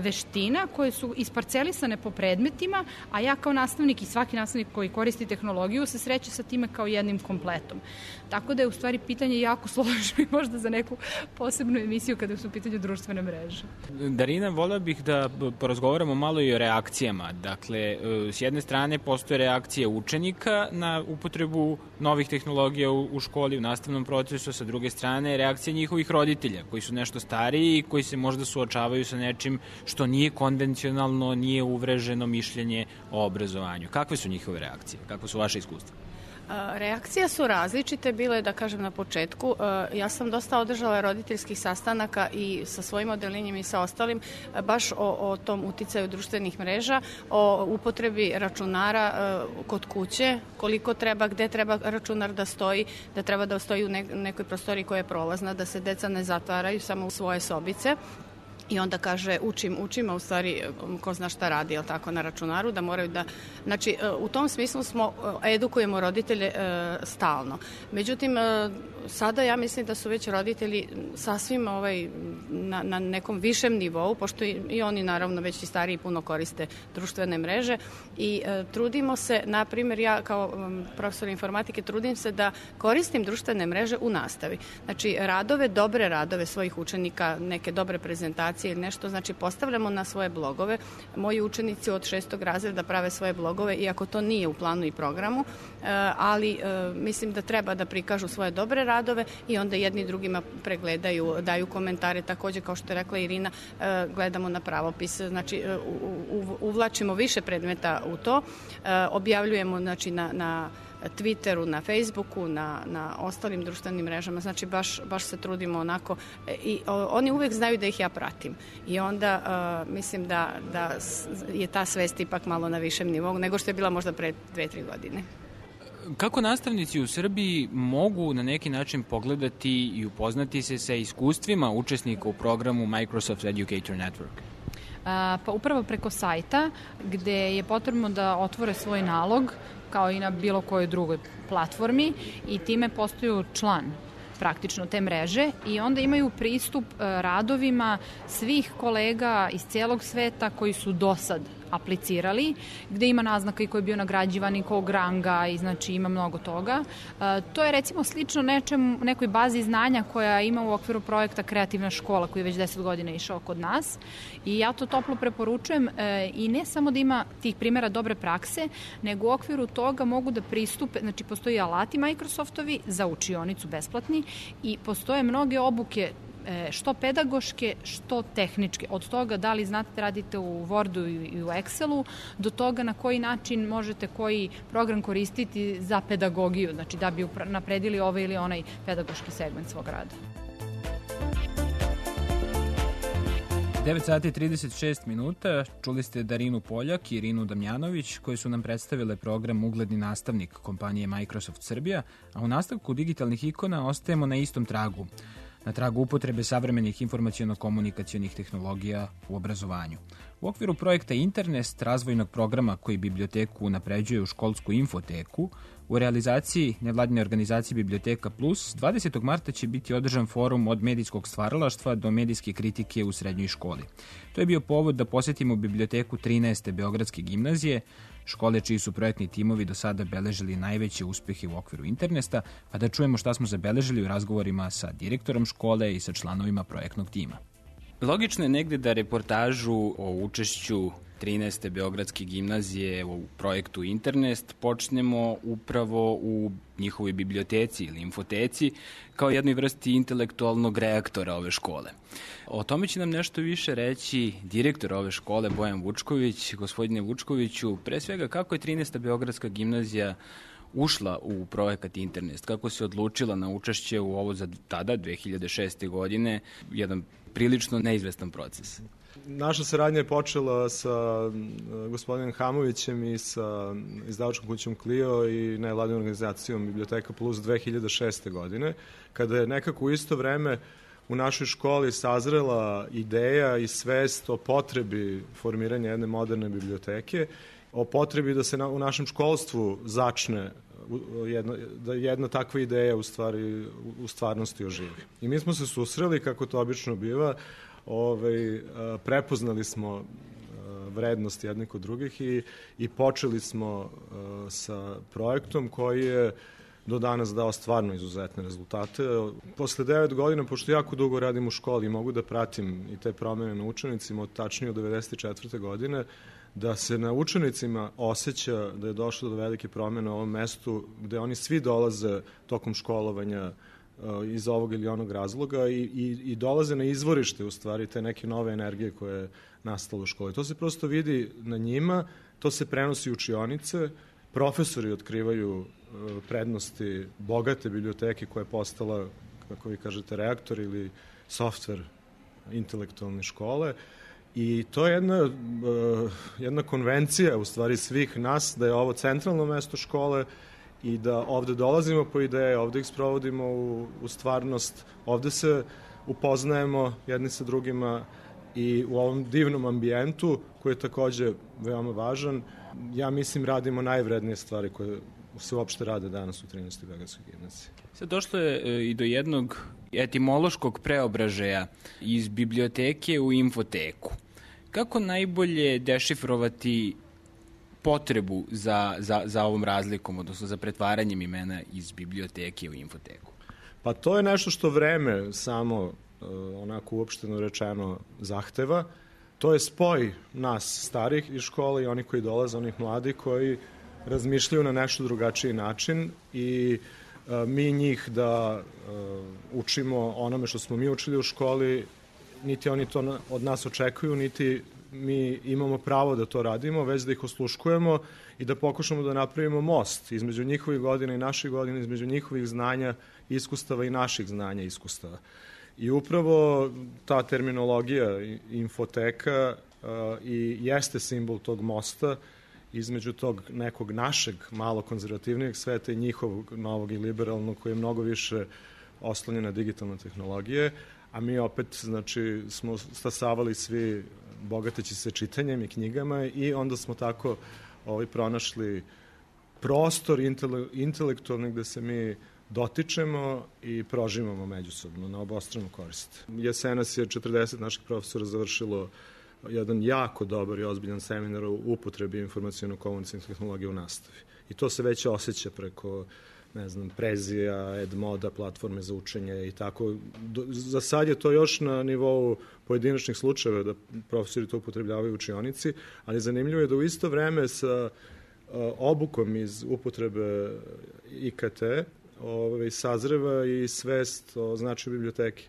veština koje su isparcelisane po predmetima, a ja kao nastavnik i svaki nastavnik koji koristi tehnologiju se sreće sa time kao jednim kompletom. Tako da je u stvari pitanje jako složeno i možda za neku posebnu emisiju kada su u pitanju društvene mreže. Darina, voleo bih da porazgovaramo malo i o reakcijama. Dakle, s jedne strane postoje reakcije učenika na upotrebu novih tehnologija u, u školi, u nastavnom procesu, sa druge strane reakcije njihovih roditelja koji su nešto stariji i koji se možda suočavaju sa nečim što nije konvencionalno, nije uvreženo mišljenje o obrazovanju. Kakve su njihove reakcije? Kakve su vaše iskustva? Reakcije su različite, bile da kažem na početku. Ja sam dosta održala roditeljskih sastanaka i sa svojim odelinjem i sa ostalim baš o, o tom uticaju društvenih mreža, o upotrebi računara kod kuće, koliko treba, gde treba računar da stoji, da treba da stoji u nekoj prostoriji koja je prolazna, da se deca ne zatvaraju samo u svoje sobice. I onda kaže učim, učim, a u stvari ko zna šta radi, jel tako, na računaru, da moraju da... Znači, u tom smislu smo, edukujemo roditelje e, stalno. Međutim, e, sada ja mislim da su već roditelji sasvim ovaj, na, na nekom višem nivou, pošto i, i oni naravno već i stariji puno koriste društvene mreže i e, trudimo se, na primjer, ja kao um, profesor informatike trudim se da koristim društvene mreže u nastavi. Znači, radove, dobre radove svojih učenika, neke dobre prezentacije ili nešto, znači postavljamo na svoje blogove. Moji učenici od šestog razreda prave svoje blogove, iako to nije u planu i programu, ali mislim da treba da prikažu svoje dobre radove i onda jedni drugima pregledaju, daju komentare, takođe kao što je rekla Irina, gledamo na pravopis, znači uvlačimo više predmeta u to, objavljujemo znači na, na Twitteru, na Facebooku, na, na ostalim društvenim mrežama, znači baš, baš se trudimo onako i o, oni uvek znaju da ih ja pratim i onda uh, mislim da, da je ta svest ipak malo na višem nivou nego što je bila možda pre dve, tri godine. Kako nastavnici u Srbiji mogu na neki način pogledati i upoznati se sa iskustvima učesnika u programu Microsoft Educator Network? Pa upravo preko sajta gde je potrebno da otvore svoj nalog kao i na bilo kojoj drugoj platformi i time postaju član praktično te mreže i onda imaju pristup radovima svih kolega iz celog sveta koji su do sad aplicirali, gde ima naznaka i ko je bio nagrađivan i kog ranga i znači ima mnogo toga. E, to je recimo slično nečem, nekoj bazi znanja koja ima u okviru projekta Kreativna škola koji je već deset godina išao kod nas i ja to toplo preporučujem e, i ne samo da ima tih primjera dobre prakse, nego u okviru toga mogu da pristupe, znači postoji alati Microsoftovi za učionicu besplatni i postoje mnoge obuke što pedagoške, što tehničke. Od toga da li znate da radite u Wordu i u Excelu, do toga na koji način možete koji program koristiti za pedagogiju, znači da bi napredili ovaj ili onaj pedagoški segment svog rada. devet sati i trideset šest minuta, čuli ste Darinu Poljak i Irinu Damjanović koji su nam predstavile program Ugledni nastavnik kompanije Microsoft Srbija, a u nastavku digitalnih ikona ostajemo na istom tragu, na tragu upotrebe savremenih informaciono-komunikacionih tehnologija u obrazovanju. U okviru projekta Internest, razvojnog programa koji biblioteku unapređuje u školsku infoteku, u realizaciji nevladine organizacije Biblioteka Plus, dvadesetog marta će biti održan forum od medijskog stvaralaštva do medijske kritike u srednjoj školi. To je bio povod da posetimo biblioteku trinaeste Beogradske gimnazije, škole čiji su projektni timovi do sada beležili najveće uspehe u okviru Internesta, pa da čujemo šta smo zabeležili u razgovorima sa direktorom škole i sa članovima projektnog tima. Logično je negde da reportažu o učešću trinaeste Beogradske gimnazije u projektu Internest počnemo upravo u njihovoj biblioteci ili infoteci kao jednoj vrsti intelektualnog reaktora ove škole. O tome će nam nešto više reći direktor ove škole Bojan Vučković. Gospodine Vučkoviću, pre svega kako je trinaesta Beogradska gimnazija ušla u projekat Internest, kako se odlučila na učešće u ovo za tada, dve hiljade šeste. godine, jedan prilično neizvestan proces? Naša saradnja je počela sa gospodinom Hamovićem i sa izdavačkom kućom Clio i nevladinom organizacijom Biblioteka Plus dve hiljade šeste. godine, kada je nekako u isto vreme u našoj školi sazrela ideja i svest o potrebi formiranja jedne moderne biblioteke, o potrebi da se na, u našem školstvu začne jedna, da jedna takva ideja u, stvari, u stvarnosti oživi. I mi smo se susreli, kako to obično biva, ovaj, prepoznali smo vrednost jednih kod drugih i, i počeli smo sa projektom koji je do danas dao stvarno izuzetne rezultate. Posle devet godina, pošto jako dugo radim u školi i mogu da pratim i te promene na učenicima, od tačnije od devedeset četvrte. godine, da se na učenicima osjeća da je došlo do velike promene u ovom mestu, gde oni svi dolaze tokom školovanja iz ovog ili onog razloga i, i, i dolaze na izvorište, u stvari, te neke nove energije koje je nastalo u školi. To se prosto vidi na njima, to se prenosi u učionice, profesori otkrivaju prednosti bogate biblioteke koja je postala, kako vi kažete, reaktor ili softver intelektualne škole. I to je jedna, jedna konvencija, u stvari, svih nas, da je ovo centralno mesto škole i da ovde dolazimo po ideje, ovde ih sprovodimo u, u stvarnost, ovde se upoznajemo jedni sa drugima i u ovom divnom ambijentu, koji je takođe veoma važan, ja mislim radimo najvrednije stvari koje se uopšte rade danas u trinaestoj Beogradskoj gimnaziji. Sad došlo je i do jednog etimološkog preobražaja iz biblioteke u infoteku. Kako najbolje dešifrovati potrebu za, za, za ovom razlikom, odnosno za pretvaranjem imena iz biblioteke u infoteku? Pa to je nešto što vreme samo, onako uopšteno rečeno, zahteva. To je spoj nas starih iz škole i oni koji dolaze, onih mladi koji razmišljaju na nešto drugačiji način i a, mi njih da a, učimo onome što smo mi učili u školi, niti oni to na, od nas očekuju, niti mi imamo pravo da to radimo, već da ih osluškujemo i da pokušamo da napravimo most između njihovih godina i naših godina, između njihovih znanja, iskustava i naših znanja i iskustava. I upravo ta terminologija infoteka a, i jeste simbol tog mosta između tog nekog našeg malo konzervativnijeg sveta i njihovog novog i liberalnog, koji je mnogo više oslonjen na digitalne tehnologije, a mi opet, znači, smo stasavali svi bogateći se čitanjem i knjigama i onda smo tako ovaj, pronašli prostor intele, intelektualni gde se mi dotičemo i prožimamo međusobno na obostranu korist. Jesenas je četrdeset naših profesora završilo jedan jako dobar i ozbiljan seminar u upotrebi informacijono-komunikacijne tehnologije u nastavi. I to se već osjeća preko, ne znam, Prezija, Edmoda, platforme za učenje i tako. Do, za sad je to još na nivou pojedinačnih slučajeva da profesori to upotrebljavaju u učionici, ali zanimljivo je da u isto vreme sa obukom iz upotrebe I K T ovaj, sazreva i svest o značaju biblioteke.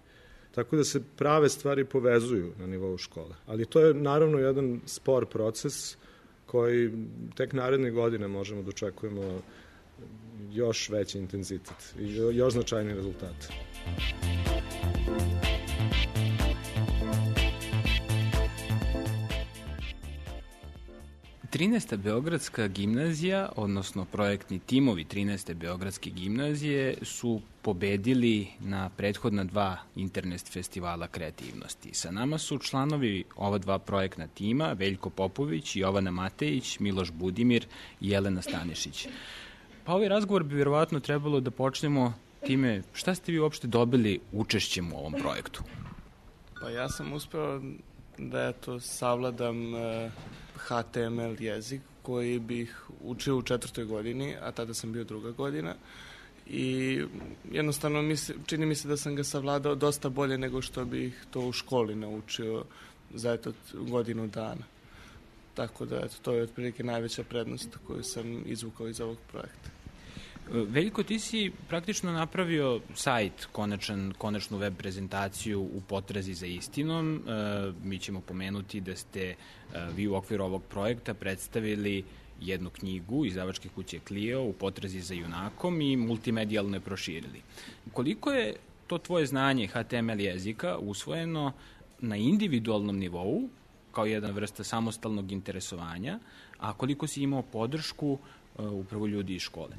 Tako da se prave stvari povezuju na nivou škole. Ali to je naravno jedan spor proces koji tek naredne godine možemo da očekujemo još veći intenzitet i još značajni rezultat. trinaesta Beogradska gimnazija, odnosno projektni timovi trinaeste Beogradske gimnazije su pobedili na prethodna dva internet festivala kreativnosti. Sa nama su članovi ova dva projektna tima, Veljko Popović, Jovana Matejić, Miloš Budimir i Jelena Stanišić. Pa ovaj razgovor bi verovatno trebalo da počnemo time šta ste vi uopšte dobili učešćem u ovom projektu? Pa ja sam uspeo da eto savladam uh, H T M L jezik koji bih učio u četvrtoj godini, a tada sam bio druga godina i jednostavno mi se, čini mi se da sam ga savladao dosta bolje nego što bih to u školi naučio za eto godinu dana. Tako da eto, to je otprilike najveća prednost koju sam izvukao iz ovog projekta. Veljko, ti si praktično napravio sajt, konačan, konačnu web prezentaciju u potrazi za istinom. E, mi ćemo pomenuti da ste e, vi u okviru ovog projekta predstavili jednu knjigu izdavačke kuće Clio u potrazi za junakom i multimedijalno je proširili. Koliko je to tvoje znanje H T M L jezika usvojeno na individualnom nivou, kao jedna vrsta samostalnog interesovanja, a koliko si imao podršku e, upravo ljudi iz škole?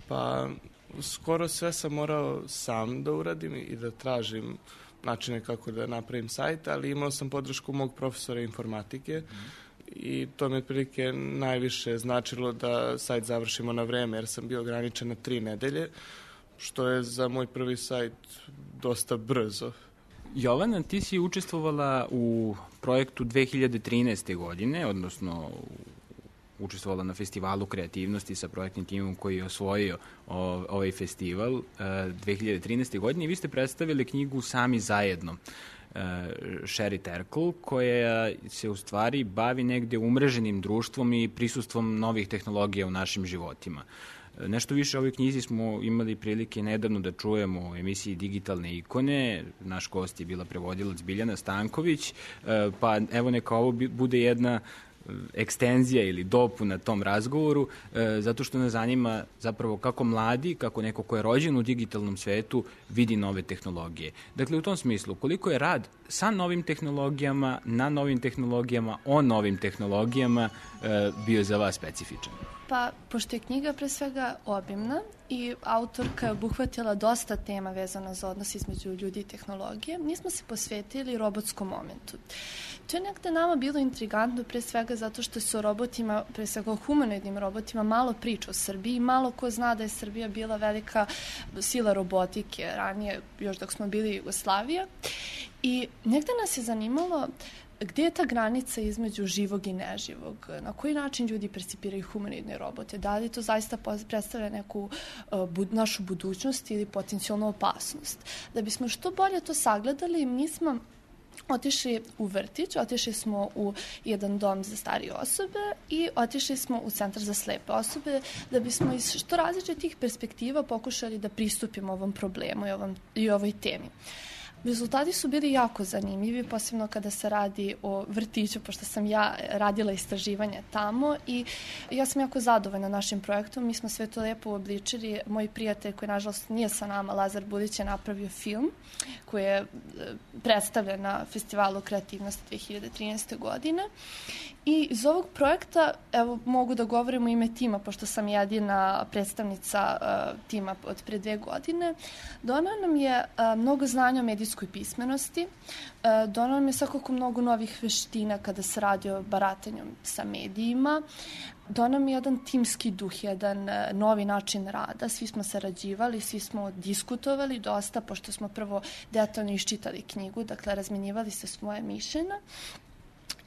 Pa, skoro sve sam morao sam da uradim i da tražim načine kako da napravim sajt, ali imao sam podršku mog profesora informatike mm. i to mi je otprilike najviše značilo da sajt završimo na vreme, jer sam bio ograničen na tri nedelje, što je za moj prvi sajt dosta brzo. Jovana, ti si učestvovala u projektu dve hiljade trinaeste. godine, odnosno učestvovala na festivalu kreativnosti sa projektnim timom koji je osvojio ovaj festival dve hiljade trinaeste. godine i vi ste predstavili knjigu Sami zajedno, Sherry Terkel, koja se u stvari bavi negde umreženim društvom i prisustvom novih tehnologija u našim životima. Nešto više o ovoj knjizi smo imali prilike nedavno da čujemo u emisiji Digitalne ikone. Naš gost je bila prevodilac Biljana Stanković, pa evo neka ovo bude jedna ekstenzija ili dopuna tom razgovoru, e, zato što nas zanima zapravo kako mladi, kako neko ko je rođen u digitalnom svetu vidi nove tehnologije. Dakle, u tom smislu, koliko je rad sa novim tehnologijama, na novim tehnologijama, o novim tehnologijama e, bio za vas specifičan? Pa, pošto je knjiga pre svega obimna i autorka je obuhvatila dosta tema vezana za odnos između ljudi i tehnologije, mi smo se posvetili robotskom momentu. To je nekde nama bilo intrigantno pre svega zato što se o robotima, pre svega o humanoidnim robotima, malo priča o Srbiji, malo ko zna da je Srbija bila velika sila robotike ranije, još dok smo bili Jugoslavija. I negde nas je zanimalo gde je ta granica između živog i neživog? Na koji način ljudi percipiraju humanoidne robote? Da li to zaista predstavlja neku uh, bud, našu budućnost ili potencijalnu opasnost? Da bismo što bolje to sagledali, mi smo otišli u vrtić, otišli smo u jedan dom za starije osobe i otišli smo u centar za slepe osobe da bismo iz što različitih perspektiva pokušali da pristupimo ovom problemu i, ovom, i ovoj temi. Rezultati su bili jako zanimljivi, posebno kada se radi o vrtiću, pošto sam ja radila istraživanje tamo i ja sam jako zadovoljna našim projektom. Mi smo sve to lepo obličili. Moj prijatelj koji nažalost nije sa nama, Lazar Budić, je napravio film koji je predstavljen na festivalu kreativnosti dve hiljade trinaeste. godine. I iz ovog projekta, evo, mogu da govorim u ime tima, pošto sam jedina predstavnica uh, tima od pre dve godine, donao nam je uh, mnogo znanja o medijskom programskoj pismenosti. E, donao nam je svakako mnogo novih veština kada se radi o baratanju sa medijima. Donao nam je jedan timski duh, jedan e, novi način rada. Svi smo sarađivali, svi smo diskutovali dosta, pošto smo prvo detaljno iščitali knjigu, dakle razmenjivali se svoje mišljenja.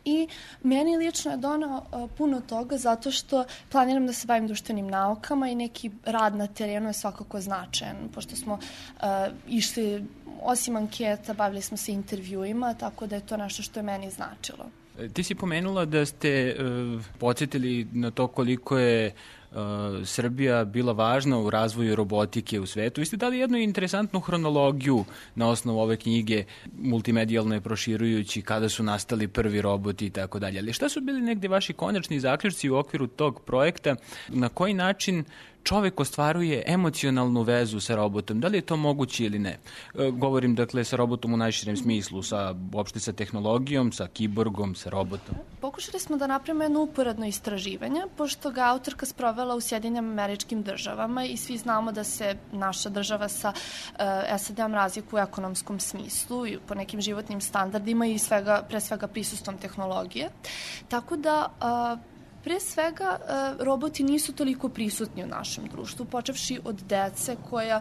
I meni lično je donao uh, puno toga zato što planiram da se bavim društvenim naukama i neki rad na terenu je svakako značajan, pošto smo uh, išli, osim anketa, bavili smo se intervjuima, tako da je to nešto što je meni značilo. Ti si pomenula da ste uh, podsjetili na to koliko je uh, Srbija bila važna u razvoju robotike u svetu. Vi ste dali jednu interesantnu hronologiju na osnovu ove knjige, multimedijalno je proširujući kada su nastali prvi roboti i tako dalje. Ali šta su bili negde vaši konačni zaključci u okviru tog projekta? Na koji način čovek ostvaruje emocionalnu vezu sa robotom? Da li je to moguće ili ne? E, govorim, dakle, sa robotom u najširem smislu, sa, uopšte sa tehnologijom, sa kiborgom, sa robotom. Pokušali smo da napravimo jedno uporedno istraživanje, pošto ga autorka sprovela u Sjedinjenim Američkim Državama i svi znamo da se naša država sa uh, S A D-om razlikuje u ekonomskom smislu i po nekim životnim standardima i svega, pre svega prisustvom tehnologije. Tako da uh, Pre svega, roboti nisu toliko prisutni u našem društvu, počevši od dece koja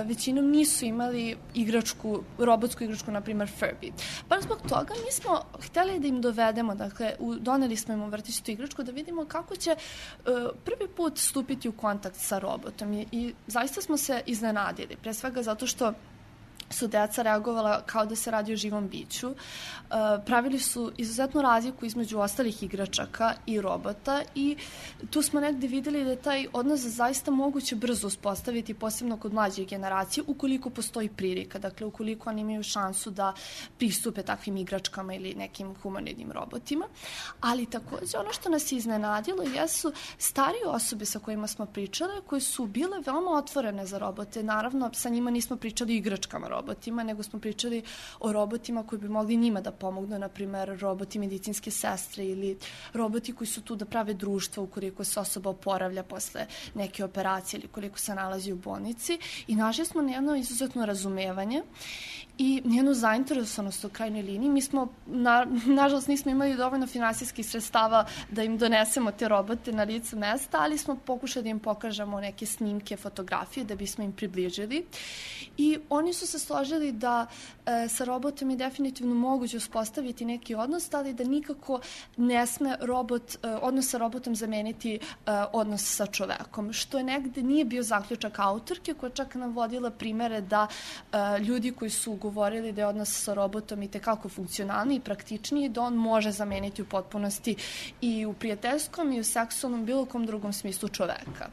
većinom nisu imali igračku, robotsku igračku, na primer Furby. Baš zbog toga mi smo hteli da im dovedemo, dakle, doneli smo im u vrtiću tu igračku da vidimo kako će prvi put stupiti u kontakt sa robotom i, i zaista smo se iznenadili, pre svega zato što su deca reagovala kao da se radi o živom biću. Uh, pravili su izuzetnu razliku između ostalih igračaka i robota i tu smo negde videli da je taj odnos zaista moguće brzo uspostaviti, posebno kod mlađe generacije, ukoliko postoji prilika, dakle ukoliko oni imaju šansu da pristupe takvim igračkama ili nekim humanoidnim robotima. Ali takođe ono što nas je iznenadilo jesu starije osobe sa kojima smo pričale, koje su bile veoma otvorene za robote. Naravno, sa njima nismo pričali o igračkama robota, robotima, nego smo pričali o robotima koji bi mogli njima da pomognu, na primer roboti medicinske sestre ili roboti koji su tu da prave društvo ukoliko se osoba oporavlja posle neke operacije ili koliko se nalazi u bolnici i našli smo jedno izuzetno razumevanje i njenu zainteresovanost u krajnjoj liniji. Mi smo, na, nažalost, nismo imali dovoljno finansijskih sredstava da im donesemo te robote na lice mesta, ali smo pokušali da im pokažemo neke snimke, fotografije da bismo im približili. I oni su se složili da e, sa robotom je definitivno moguće uspostaviti neki odnos, ali da nikako ne sme robot, e, odnos sa robotom zameniti e, odnos sa čovekom, što je negde nije bio zaključak autorke, koja čak navodila primere da e, ljudi koji su govorili da je odnos sa robotom i tekako funkcionalniji i praktičniji, da on može zameniti u potpunosti i u prijateljskom i u seksualnom bilo kom drugom smislu čoveka.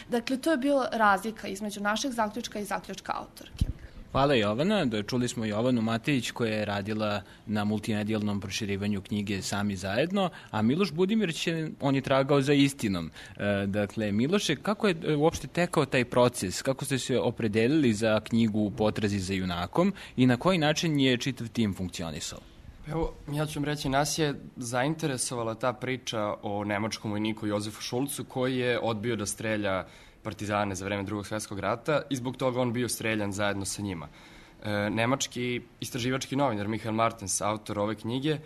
Dakle, to je bila razlika između našeg zaključka i zaključka autorke. Hvala Jovana. Čuli smo Jovanu Matejić koja je radila na multimedijalnom proširivanju knjige Sami zajedno, a Miloš Budimirić je, on je tragao za istinom. E, dakle, Miloše, kako je uopšte tekao taj proces? Kako ste se opredelili za knjigu U potrazi za junakom i na koji način je čitav tim funkcionisao? Evo, ja ću vam reći, nas je zainteresovala ta priča o nemačkom vojniku Jozefu Šulcu koji je odbio da strelja partizane za vreme Drugog svjetskog rata i zbog toga on bio streljan zajedno sa njima. E, nemački istraživački novinar Michael Martens, autor ove knjige,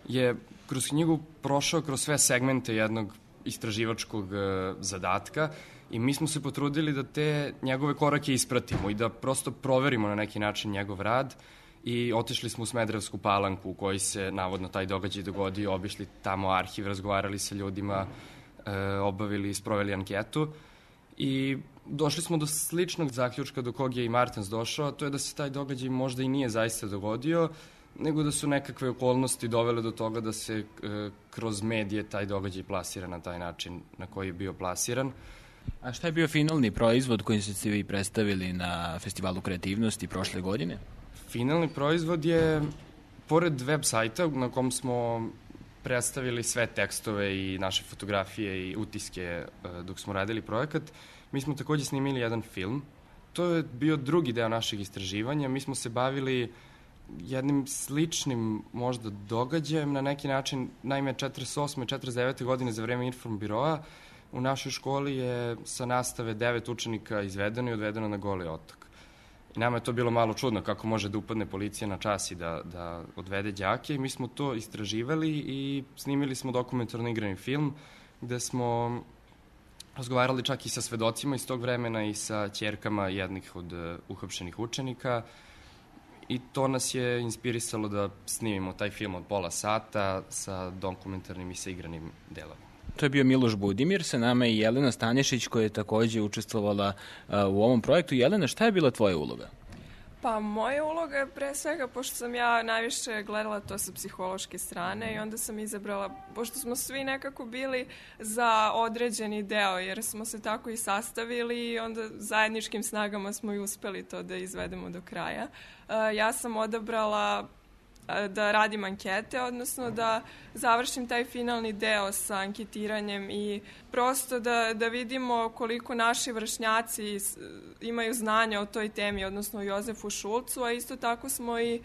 je kroz knjigu prošao kroz sve segmente jednog istraživačkog e, zadatka i mi smo se potrudili da te njegove korake ispratimo i da prosto proverimo na neki način njegov rad i otišli smo u Smederevsku Palanku u kojoj se navodno taj događaj dogodio, obišli tamo arhiv, razgovarali sa ljudima, e, obavili i sproveli anketu. I došli smo do sličnog zaključka do kog je i Martens došao, a to je da se taj događaj možda i nije zaista dogodio, nego da su nekakve okolnosti dovele do toga da se e, kroz medije taj događaj plasira na taj način na koji je bio plasiran. A šta je bio finalni proizvod koji ste vi predstavili na Festivalu kreativnosti prošle godine? Finalni proizvod je, pored web sajta na kom smo predstavili sve tekstove i naše fotografije i utiske dok smo radili projekat, mi smo takođe snimili jedan film. To je bio drugi deo našeg istraživanja. Mi smo se bavili jednim sličnim možda događajem na neki način. Naime, četrdeset osme četrdeset devete godine za vreme Informbiroa u našoj školi je sa nastave devet učenika izvedeno i odvedeno na Goli otok. I nama je to bilo malo čudno kako može da upadne policija na čas i da, da odvede đake. I mi smo to istraživali i snimili smo dokumentarno igrani film gde smo razgovarali čak i sa svedocima iz tog vremena i sa ćerkama jednih od uh, uhapšenih učenika. I to nas je inspirisalo da snimimo taj film od pola sata sa dokumentarnim i sa igranim delovima. To je bio Miloš Budimir, sa nama i Jelena Stanišić koja je takođe učestvovala uh, u ovom projektu. Jelena, šta je bila tvoja uloga? Pa moja uloga je pre svega, pošto sam ja najviše gledala to sa psihološke strane i onda sam izabrala, pošto smo svi nekako bili za određeni deo, jer smo se tako i sastavili i onda zajedničkim snagama smo i uspeli to da izvedemo do kraja. Uh, ja sam odabrala da radim ankete, odnosno da završim taj finalni deo sa anketiranjem i prosto da, da vidimo koliko naši vršnjaci imaju znanja o toj temi, odnosno o Jozefu Šulcu, a isto tako smo i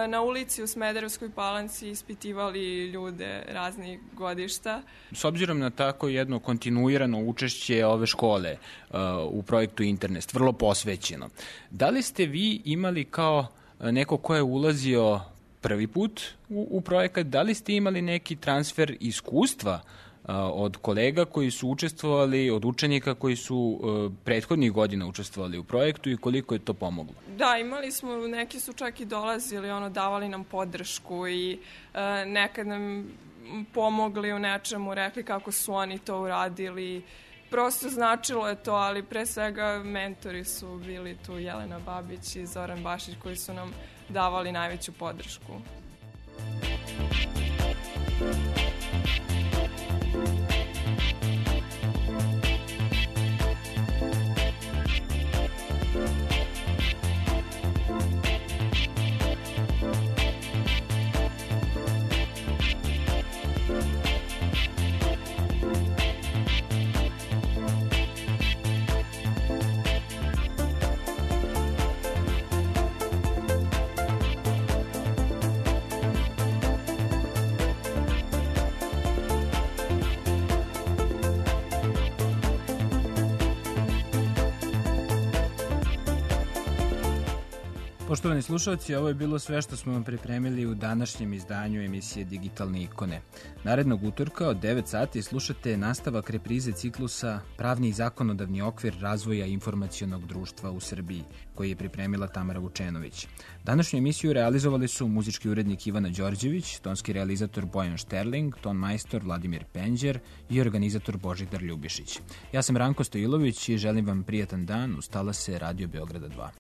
na ulici u Smederevskoj Palanci ispitivali ljude raznih godišta. S obzirom na tako jedno kontinuirano učešće ove škole uh, u projektu Internet, vrlo posvećeno, da li ste vi imali kao neko ko je ulazio prvi put u, u projekat, da li ste imali neki transfer iskustva a, od kolega koji su učestvovali, od učenika koji su a, prethodnih godina učestvovali u projektu i koliko je to pomoglo? Da, imali smo, neki su čak i dolazili, ono, davali nam podršku i a, nekad nam pomogli u nečemu, rekli kako su oni to uradili. Prosto značilo je to, ali pre svega mentori su bili tu Jelena Babić i Zoran Bašić koji su nam davali najveću podršku. Poštovani slušalci, ovo je bilo sve što smo vam pripremili u današnjem izdanju emisije Digitalne ikone. Narednog utorka od devet sati slušate nastavak reprize ciklusa Pravni i zakonodavni okvir razvoja informacionog društva u Srbiji, koji je pripremila Tamara Vučenović. Današnju emisiju realizovali su muzički urednik Ivana Đorđević, tonski realizator Bojan Šterling, ton majstor Vladimir Penđer i organizator Božidar Ljubišić. Ja sam Ranko Stojilović i želim vam prijatan dan uz talase Radio Beograda dva.